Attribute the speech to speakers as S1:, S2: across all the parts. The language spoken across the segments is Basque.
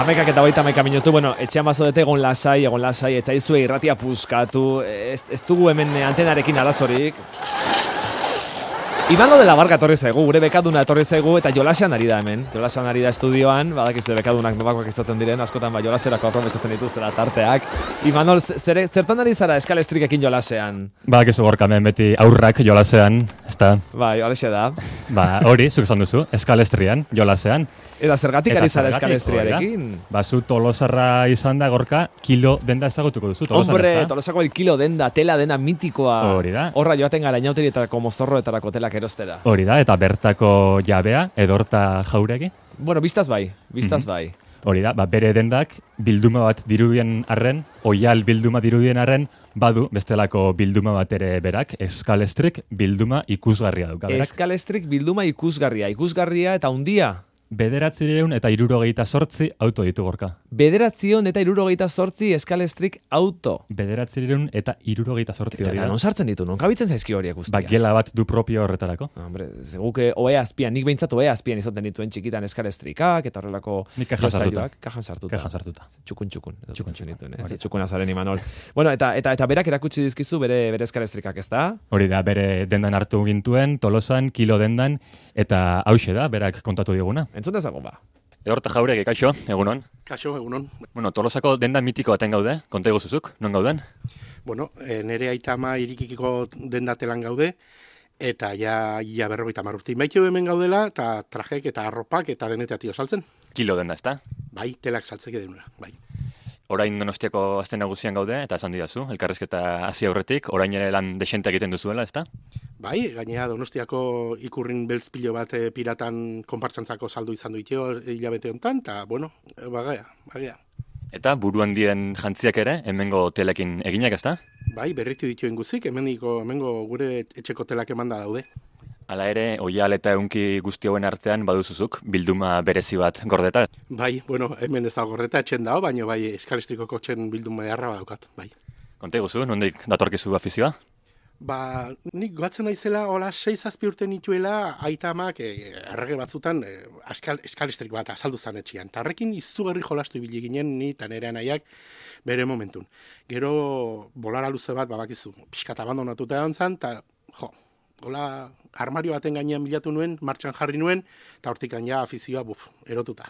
S1: 11:21 minutu, etxean bazodete egon lasai, eta izue irratia puskatu, ez dugu hemen antenarekin arazorik. Imanol de la Barca etorri zaigu, gure bekaduna etorri zaigu, eta jolasean ari da hemen. Jolasean ari da estudioan, badakizu bekadunak nobakoak izaten diren, askotan jolaserako aprobetxatzen dituztela tarteak. Imanol, zertan ari zara eskalestrikekin jolasean?
S2: Badakizu Gorka, hemen beti aurrak jolasean, ezta?
S1: Bai, horixe da.
S2: Hori, zuk esan duzu, eskalestrian, jolasean.
S1: Eta zergatik ari zara eskalestriarekin?
S2: Zu Tolosarra izan da, Gorka, kilo denda ezagutuko duzu.
S1: Hombre, Tolosako el kilo denda, tela dena mitikoa.
S2: Hori da.
S1: Horra joaten gara inauterietarako mozorroetarako telak erostera.
S2: Hori da, eta bertako jabea, Edorta Jauregi.
S1: Biztaz bai.
S2: Hori da, bere dendak bilduma bat dirudien arren, oial bilduma dirudien arren, badu bestelako bilduma bat ere berak, eskalestrik bilduma ikusgarria dauka berak.
S1: Eskalestrik bilduma ikusgarria eta hundia.
S2: 968 auto ditu Gorka.
S1: 968 eskalestrik auto.
S2: 968 hori da.
S1: Eta non sartzen ditu, non kabitzen zaizki horiek guztiak?
S2: Gela bat du propio horretarako.
S1: Hombre, zeguke oea azpian, nik behintzat oea azpian izaten dituen txikitan eskalestrikak, eta horrelako...
S2: Nik kajan
S1: sartuta. Txukun.
S2: Txukun
S1: azaren Imanol. Eta berak erakutsi dizkizu bere eskalestrikak, ez da?
S2: Hori da, bere dendan hartu gintuen, Tolosan, kilo dendan, eta hauxe da, berak kontatu diguna.
S1: Entzun dezago ba.
S2: Edorta Jauregi, kaixo, egunon?
S3: Kaixo, egunon.
S2: Tolosako denda mitiko baten gaude, konta iguzuzuk, non gauden?
S3: Nere aita ama irikikiko dendatelan gaude, eta ja 50 urte. Baitio hemen gaudela, eta trajek eta arropak eta denetatio saltzen.
S2: Kilo denda, ezta?
S3: Bai, telak saltzeke denura, bai.
S2: Orain Donostiako aste nagusian gaude, eta esan didazu, elkarrizketa hasi aurretik, orain ere lan desente egiten duzuela, ezta?
S3: Bai, gainera Donostiako ikurrin beltz pilo bat piratan konpartsantzako saldu izan duitio hilabete honetan, eta, bagea.
S2: Eta buruan dien jantziak ere, hemengo telekin eginak, ezta?
S3: Bai, berritu dituen guzik, hemengo gure etxeko telak emanda daude.
S2: Hala ere, oial eta eunki guzti hauen artean baduzuzuk, bilduma berezi bat gordeta.
S3: Bai, hemen ez da gordeta etxen dago, baina bai, eskalestrikoko txen bilduma beharra badaukat, bai.
S2: Konta iguzu, nondik datorkizu afizioa?
S3: Nik goatzen naizela, hola 6-7 urte nituela, aita amak errege batzutan eskalestrik bat azaldu zan etxian. Tarrekin izugarri jolastu ibili ginen ni eta nire anaiak bere momentun. Gero bolara luze bat, bakizu, pixkat abandonatuta egon zan, eta hola armario baten gainean bilatu nuen, martxan jarri nuen, eta hortik gaina afizioa, erotuta.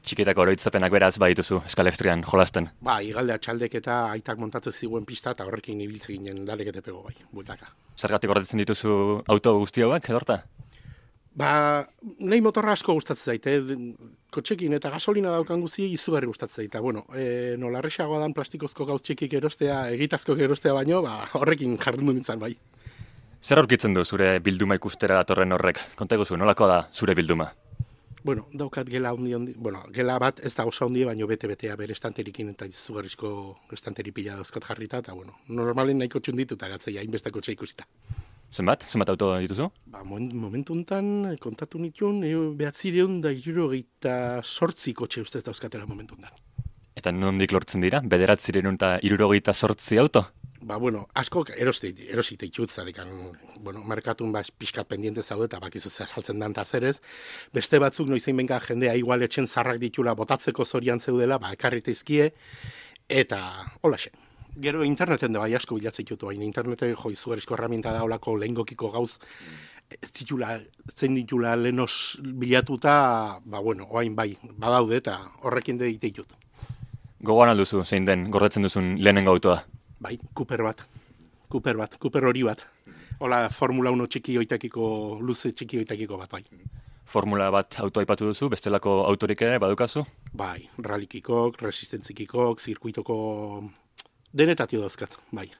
S2: Txikitako oroitzapenak beraz badituzu eskalestrian jolasten.
S3: Igaldea txaldek eta aitak montatzen ziguen pista, eta horrekin ibiltze ginen dalekete pego bueltaka.
S2: Zergatik gordetzen dituzu auto guzti hauek, Edorta?
S3: Nahi motorra asko gustatzen zaite, kotxekin eta gasolina daukan guzti izugarri gustatzen zaite. Nola erresagoa dan plastikozko gauz txikik erostea, egitazko erostea baino, horrekin jarri nintzen bai.
S2: Zer aurkitzen du zure bilduma ikustera datorren horrek? Konta iguzu, nolako da zure bilduma?
S3: Daukat gela gela bat ez da oso handi, baino bete-betea bere estanterikin eta izugarrizko estanteri pila dauzkat jarrita, eta normalen nahiko txundituta gatzei hainbeste kotxe ikusita.
S2: Zenbat auto dituzu?
S3: Momentu honetan, kontatu nituen, 968 kotxe ustez dauzkatela momentu honetan.
S2: Eta nondik lortzen dira? 968 auto?
S3: Asko erosite itxut, zadekan, merkatun pixkat pendiente zaude, eta bakizu saltzen dan tazerez. Beste batzuk noizein benka jendea igual etxen zarrak ditula botatzeko zorian zeudela, ekarrita izkie, eta holaxe. Gero interneten da asko bilatzen ditutu, interneten izugarrizko herramienta da olako lehengokiko gauz, zein ditula lehenos bilatuta, oain bai, badaude eta horrekin deite ditut.
S2: Gogoan alduzu, zein den, gordetzen duzun lehenengo autoa?
S3: Bai, Cooper hori bat. Hola, Formula 1 txiki oitakiko, luze txiki oitakiko bat, bai.
S2: Formula bat auto aipatu duzu, bestelako autorik ere badukazu?
S3: Bai, rallikikok, resistentzikikok, zirkuitoko denetatio dauzkat, bai.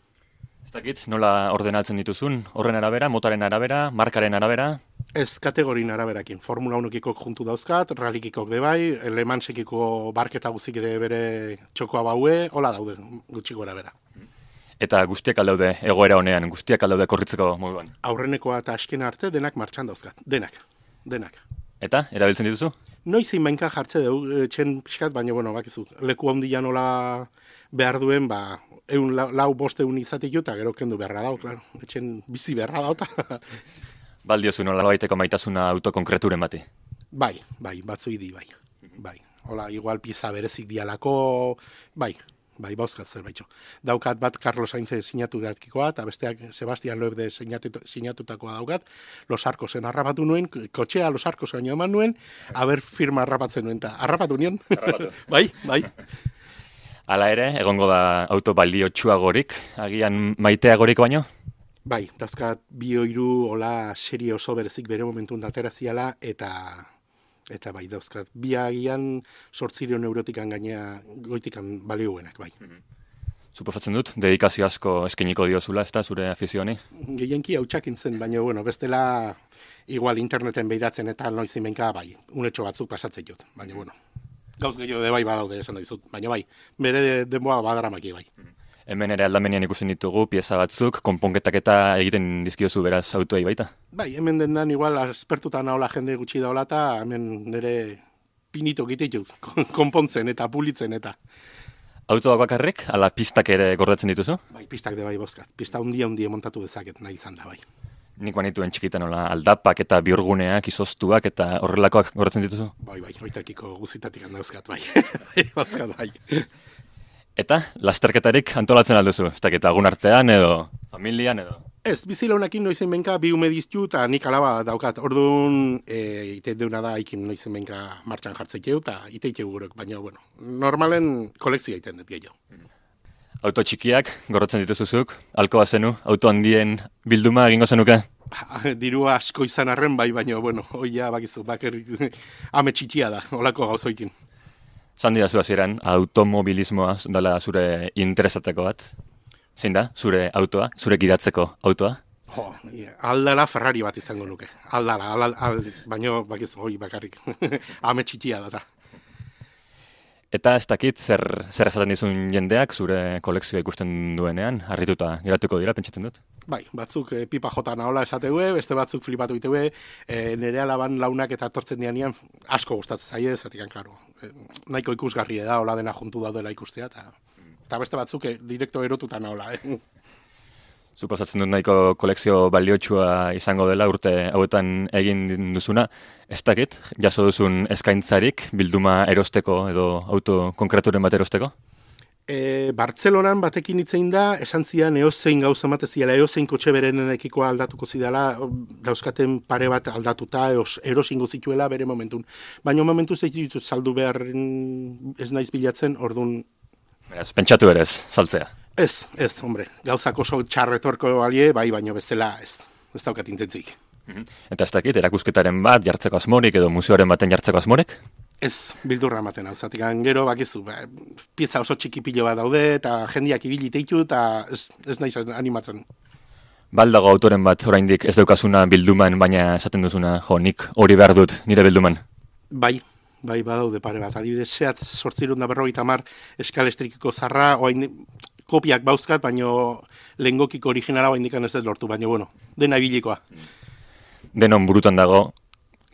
S2: Ez dakit, nola ordenatzen dituzun? Horren arabera, motaren arabera, markaren arabera?
S3: Ez kategorin araberakin. Formula 1-kikok juntu dauzkat, rallikikok de bai, Le Mansekiko barketa guzik de bere txokoa baue, hola daude, gutxi gora bera.
S2: Eta guztiak aldaude egoera honean, guztiak aldaude korritzeko moduan?
S3: Aurrenekoa eta askena arte denak martxan dauzkat, denak.
S2: Eta, erabiltzen dituzu?
S3: Noizein bainka jartze dugu, txen pixkat, baina, bakizu, leku handia nola behar duen, 100-150 izatik eta gero kendu beharra dau, claro. Etxen bizi beharra dau.
S2: Baldiozu nola baiteko maitasuna autokonkreturen bati?
S3: Bai, batzu idi, bai. Hola, igual pieza berezik dialako, bai, bauzkat zerbaitxo. Daukat bat Carlos Sainz sinatu datkikoa, eta besteak Sebastian Loeb de sinatutakoa daukat, Los Arcosen harrapatu nuen, kotxea Los Arcosen eman nuen, aber firma harrapatzen nuen, eta harrapatu nion. Bai.
S2: Hala ere, egongo da auto baliotsuagorik, agian maiteagorik baino?
S3: Bai, dauzkat 2-3 hola serie oso berezik bere momentun datera ziala, eta bai, dauzkat, bi agian 800 eurotikan gainea goitikan balioenak, bai.
S2: Suposatzen dut, dedikazio asko eskeniko diozula, ez da, zure afizioani?
S3: Gehienki hautsakin zen, baina, bestela, igual interneten behidatzen eta noizin benka, bai, unetxo batzuk pasatzen jut, baina, gauz gehiago de bai badaude esan dizut, baina bai, bere denboa badaramaki bai.
S2: Hemen ere aldamenean ikusten ditugu, pieza batzuk, konponketak eta egiten dizkiozu beraz autoei baita?
S3: Bai, hemen dendan igual aspertuta nahola jende gutxi daola eta hemen nire pinito gitituz, konpontzen eta pulitzen eta.
S2: Autoak bakarrik, ala pistak ere gordetzen dituzu?
S3: Bai, pistak de bai bozkat. Pista hundia montatu dezaket nahi izan da bai.
S2: Nik banituen txikitan nola aldapak eta bihurguneak, izoztuak eta horrelakoak gordetzen dituzu?
S3: Bai, oitakiko guzitatik handauzkat bai. Bozkat bai.
S2: Eta, lasterketarik antolatzen alduzu? Ez dakit agun artean edo familian edo?
S3: Ez, bizilaunakin noizen benka bi ume diztu eta nik alaba daukat. Orduan, ite deuna da ikin noizen benka martxan jartzeikeu eta iteikeu gurok, baina, normalen kolekzioa iten dut gehiago.
S2: Auto txikiak gorrotzen dituzuzuk, alko bazenu, auto handien bilduma egingo zenuke?
S3: Dirua asko izan arren bai, baina, oia bakizu, bakerrik ame txikia da, olako gauzoikin.
S2: Zandi da zu hasieran, automobilismoa dela zure interesateko bat? Zein da, zure autoa, zure gidatzeko autoa?
S3: Aldala Ferrari bat izango nuke. Aldala, baina bakizu, bakarrik. Ame txikia da.
S2: Eta ez dakit, zer esaten dizun jendeak zure kolekzioa ikusten duenean, harrituta geratuko dira, pentsatzen dut? Bai,
S3: batzuk pipa jota nahola esateue, beste batzuk flipatu iteue, nire alaban launak eta tortzen dianean asko gustatzen zaie, zatik klaro. Nahiko ikusgarria da, hola dena juntu daudela ikustea, eta beste batzuk direkto erotuta nahola.
S2: Suposatzen dut nahiko kolekzio baliotsua izango dela urte hauetan egin duzuna. Ez dakit, jaso duzun eskaintzarik bilduma erosteko edo auto konkreturen bat erosteko?
S3: Bartzelonan batekin hitzein da, esan zian eozein gauza mateziala, eozein kotxe berenekikoa aldatuko zidala, dauzkaten pare bat aldatuta, erosingo zituela bere momentun. Baina momentu zeitu saldu behar ez naiz bilatzen, orduan...
S2: Beraz, pentsatu ere ez, saltzea?
S3: Ez, hombre, gauzak oso txarretorko balie, bai, baino bezala ez daukat intentzik.
S2: Eta ez dakit, erakusketaren bat jartzeko asmorik edo museoaren baten jartzeko asmorik?
S3: Ez, bildurra ematen hau, zatik gero, bakizu, pieza oso txiki pilo bat daude, eta jendiak ibili teitu, eta ez naiz animatzen.
S2: Baldago autoren bat oraindik ez daukazuna bilduman, baina esaten duzuna, nik hori behar dut nire bilduman?
S3: Bai, badaude pare bat. Adibidez, Seat 850 eskalestrikiko zarra, kopiak bauzkat, baino lehengokiko originala oaindikan ez dut lortu, baina, dena ibilikoa.
S2: Denon burutan dago,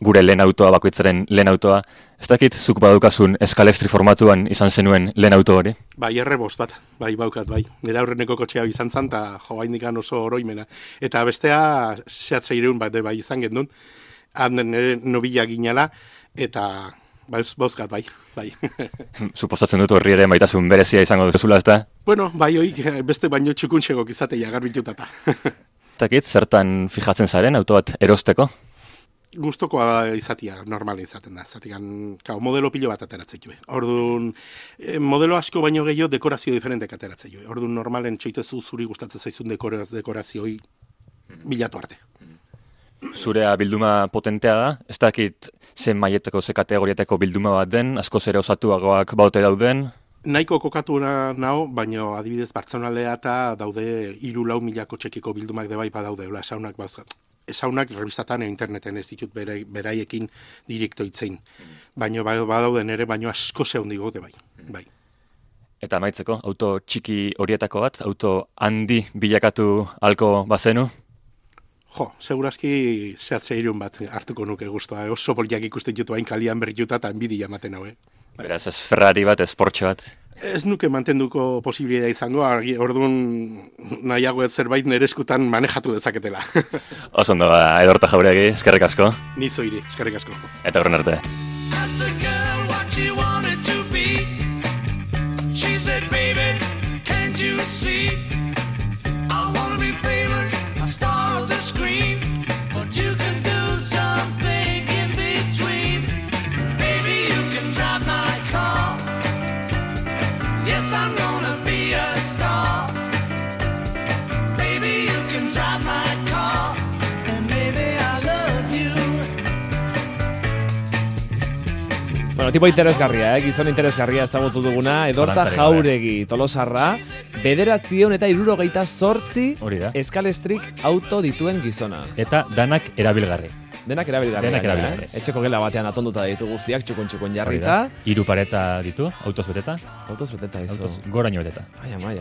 S2: gure lehen autoa, bakoitzaren lehen autoa. Ez dakit, zuk badukazun eskalestri formatuan izan zenuen lehen auto hori?
S3: Bai, R5 bat, bai, baukat, bai. Nire aurreneko kotxea izan zan, eta oaindikan oso oroimena. Eta bestea, Seat 600 bat, bai, izan gendun, handen nire nobila ginala, eta... Bauzkat, bai.
S2: Suposatzen dut horri ere maitasun berezia izango duzula, ez da?
S3: Bueno, bai, beste baino txukuntxegok izatea garbitutata.
S2: Takit, zertan fijatzen zaren auto bat erosteko?
S3: Gustokoa izatea, normala izaten da. Modelo pilo bat ateratzen joe. Orduan, modelo asko baino gehiago dekorazio diferentek ateratzen joe. Orduan, normalen txoitezu zuri gustatzen zaizun dekorazioi bilatu arte.
S2: Zurea bilduma potentea da, ez dakit zen maietako, ze kategoriateko bilduma bat den, askoz ere osatuagoak baute dauden?
S3: Nahiko kokatu naho, baina adibidez Bartzelonaldea eta daude 3-4 mila kotxekiko bildumak debai badaude, esaunak bauzkat. Esaunak revistatan interneten ez ditut beraiekin direkto itzein. Baina badauden ere, baina asko zehundigo de bai.
S2: Eta amaitzeko, auto txiki horietako bat, auto handi bilakatu halko bazenu?
S3: Segurazki Seat 600 bat hartuko nuke guztua. Oso poliak ikusten jutu hain kalian berrituta eta enbidia ematen hau.
S2: Beraz, ez Ferrari bat, ez Porsche bat?
S3: Ez nuke mantenduko posibilidad izango, orduan nahiago ez zerbait nire eskutan manejatu dezaketela.
S2: Oso ondo, Edorta Jauregui, eskerrik asko.
S3: Ni zoiri, eskerrik asko.
S2: Eta horren arte.
S1: Bueno, tipo interesgarria, gizon interesgarria ezagutu duguna, Edorta
S2: Zalantzarik
S1: Jauregi Tolosarra, 988
S2: Hori da.
S1: eskalestrik auto dituen gizona.
S2: Eta danak erabilgarri.
S1: Denak erabilgarri.
S2: Denak erabilgarri.
S1: Etxeko gela batean atonduta ditu guztiak, txukun
S2: Hori da.
S1: jarrita.
S2: 3 pareta ditu, autoz beteta.
S1: Autoz beteta izo.
S2: Autoz goraino beteta.
S1: Ai, ama.